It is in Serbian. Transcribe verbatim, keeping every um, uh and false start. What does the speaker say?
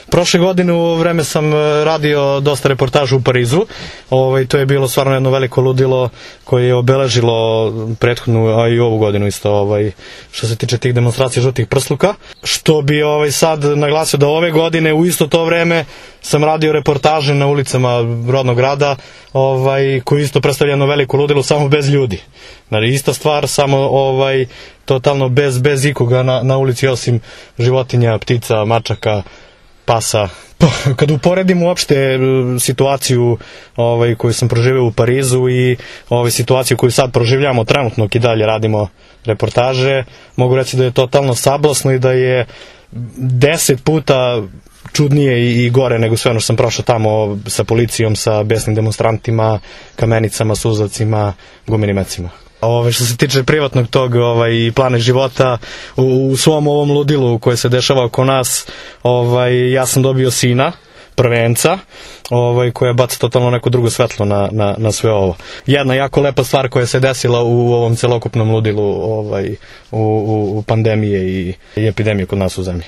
Prošle godine u vreme sam radio dosta reportaža u Parizu. Ovaj, to je bilo stvarno jedno veliko ludilo koje je obeležilo prethodnu, a i ovu godinu isto, ovaj, što se tiče tih demonstracija žutih prsluka. Što bi ovaj, sad naglasio da ove godine u isto to vreme sam radio reportaže na ulicama rodnog grada, ovaj, koji isto predstavlja jedno veliko ludilo, samo bez ljudi. Znači, ista stvar, samo ovaj, totalno bez, bez ikoga na, na ulici, osim životinja, ptica, mačaka, pasa. Kad uporedim uopšte situaciju ovaj, koju sam proživio u Parizu i ovaj, situaciju koju sad proživljamo trenutno i dalje radimo reportaže, mogu reći da je totalno sablasno i da je deset puta čudnije i gore nego sve ono što sam prošao tamo sa policijom, sa besnim demonstrantima, kamenicama, suzavcima, gumenim mecima. Ove, što se tiče privatnog tog ovaj, plana života, u, u svom ovom ludilu koje se dešava oko nas, ovaj, ja sam dobio sina, prvenca, ovaj, koja baca totalno neko drugo svetlo na, na, na sve ovo. Jedna jako lepa stvar koja se desila u ovom celokupnom ludilu ovaj, u, u, u pandemije i, i epidemije kod nas u zemlji.